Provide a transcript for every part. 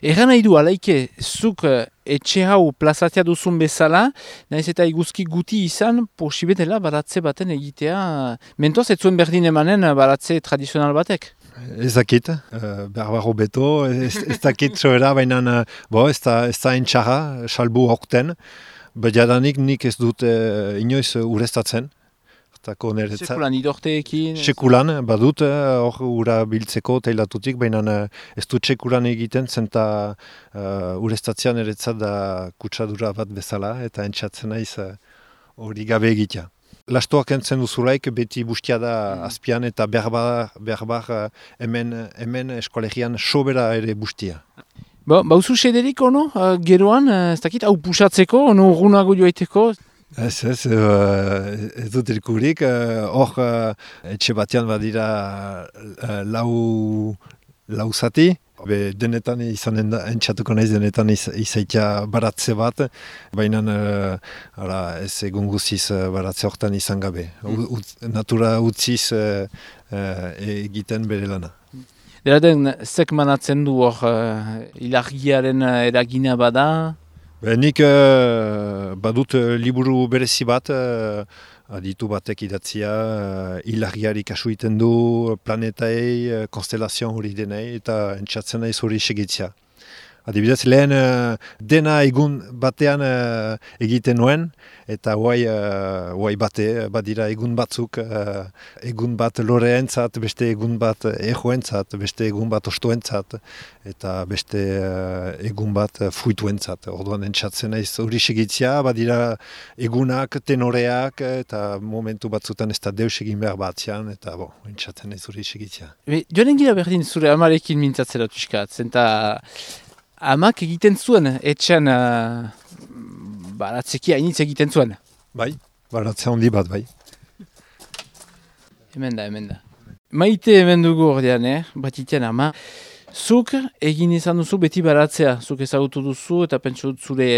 Erran nahi du, alaike, zuk etxe hau plazatzea duzun bezala, nahiz eta iguzki guti izan, posibetela baratze baten egitea, mentoz ez zuen berdin emanen baratze tradizional batek? Ez dakit, berbaro beto, ez dakit zoera, baina ez da entxarra, salbu horten, badiadanik nik ez dut inoiz ureztatzen. Sekulan idorteekin? Sekulan, badut, hor ura biltzeko teilatutik, baina ez dut sekulan egiten, zenta ureztatzean eretzat da kutsadura bat bezala, eta entxatzen naiz hori gabe egitea. Lastoak entzen duzulaik, beti bustia da azpian, eta berbar hemen eskolegian sobera ere bustia. Bauzu sederik, ono, geroan, ez dakit, hau pusatzeko, ono urgunago joaiteko? Ez dut irkurik, hor etxe batean badira lau zati, denetan entxatuko naiz denetan izaitia baratze bat, baina ez egun guziz baratze hortan izan gabe. Natura utziz egiten bere lana. Dela den, zek manatzen du hor ilargiaren eragina bada? Nik badut liburu berezi bat, aditu batek idatzia, ilargiari kasu iten du, planetaei, konstelazion hori denei, eta entxatzen naiz hori segitzia. Adibidez, lehen dena egun batean egiten nuen, eta guai bate, badira egun batzuk, egun bat loreentzat, beste egun bat ejoentzat, beste egun bat ostoentzat, eta beste egun bat fuituentzat. Orduan entxatzen naiz hori segitzia, badira egunak, tenoreak, eta momentu batzutan ez da deus egin behar batzean, eta entxatzen naiz hori segitzia. Joanen gira berdin zure amarekin mintzatzera tuskat, zenta amak egiten zuen, etxean baratzeki hainitz egiten zuen. Bai, baratze handi bat, bai. Hemen da. Maite hemen dugu ordean, batitean ama. Zuk egin izan duzu beti baratzea, zuk ezagutu duzu eta pentsu zure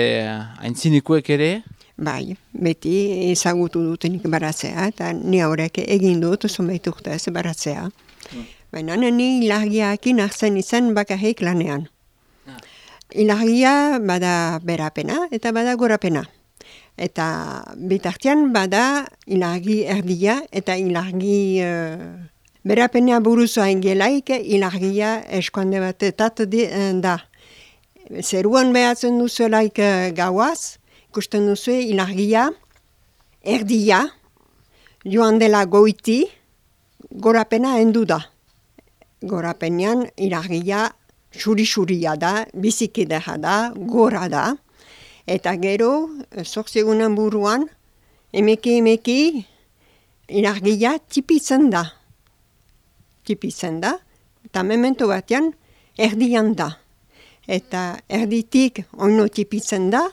aintzinekoek ere? Bai, beti ezagutu dutenik baratzea, eta ni horrek egin dut zonbait urtez baratzea. Baina ni ilargiakin hartzen izan bakarrik lanean. Ilargia bada berapena eta bada gorapena. Eta bitartean bada ilargi erdia eta ilargi berapena buruzua ingelaik ilargia eskuande batetat da. Zeruan behatzen duzuelaik gauaz, ikusten duzu ilargia erdia joan dela goiti, gorapena endu da. Gorapenean ilargia xuri-xuria da, bizikidea da, gora da. Eta gero, zortzegunan buruan, emeki ilargia tipitzen da. Eta memento batean erdian da. Eta erditik oino tipitzen da,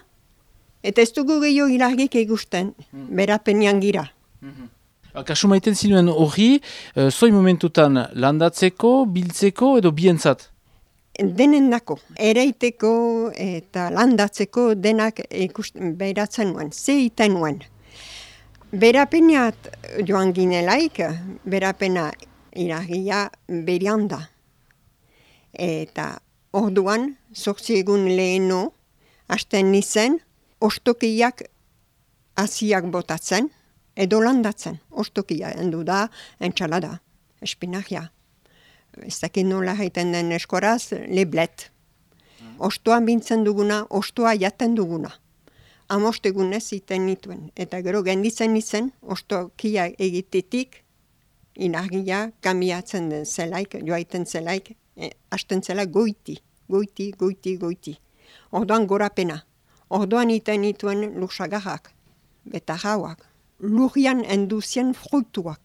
eta ez dugu gehiago ilargik egusten, berapenean gira. Kasu maiten zinuen hori, zoi momentutan landatzeko, biltzeko edo bientzat? Denen dako, ereiteko eta landatzeko denak behiratzen nuen, zeiten nuen. Berapeneat joan ginelaik, berapena ilargia berian da. Eta orduan, 8 egun leheno, hasten nizen, ostokiak hasiak botatzen, edo landatzen. Ostokia endu da, entxalada, espinakia. Ez dakit nola haiten den eskoraz, leblet. Ostoa bintzen duguna, ostoa jaten duguna. 5 egunez iten nituen. Eta gero genditzen izen, ostokia egitetik, ilargia kamiatzen den zelaik, joaiten zelaik, hasten zela goiti. Orduan gorapena. Orduan iten nituen lursagarrak, eta jauak. Lurian enduzien fruituak.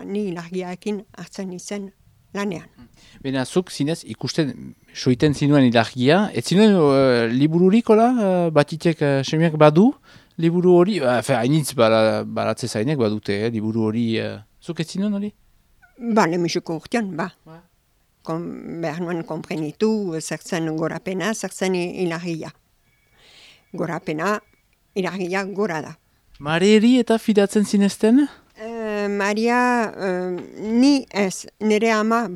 Ni ilargiaekin hartzen izen lanean. Bena, zuk zinez ikusten soiten zinuen ilargia, ez zinuen libururik, batitek semiak badu, liburu hori, hainitz baratze zainek badute, liburu hori, zuk ez zinuen hori? Lemiseko urtean, behar nuen komprenitu, zertzen gorapena, zertzen ilargia. Gorapena, ilargia gora da. Mareri eta fidatzen zinezten? Maria, ni ez, nire ama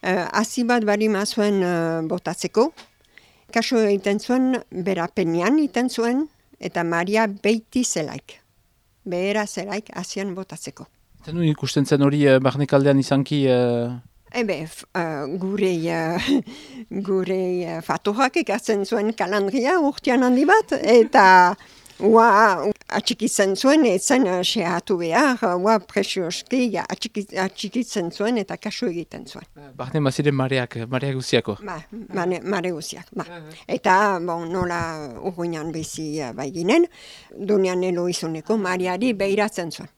hasi bat barima zuen botatzeko. Kaso egiten zuen, bera penian egiten zuen, eta Maria beiti zelaik. Behera zelaik hasian botatzeko. Zen ikusten zen hori barnekaldean izanki... Gure fatorak ekartzen zuen kalandria urtean handi bat, eta atxikitzen zuen, etzen sehatu behar, presioski atxikitzen zuen eta kasu egiten zuen. Barne maziren mareak guziako. Mare guziak. Eta nola urruinan bizi baiginen, Donian Eloizuneko Mariari behiratzen zuen.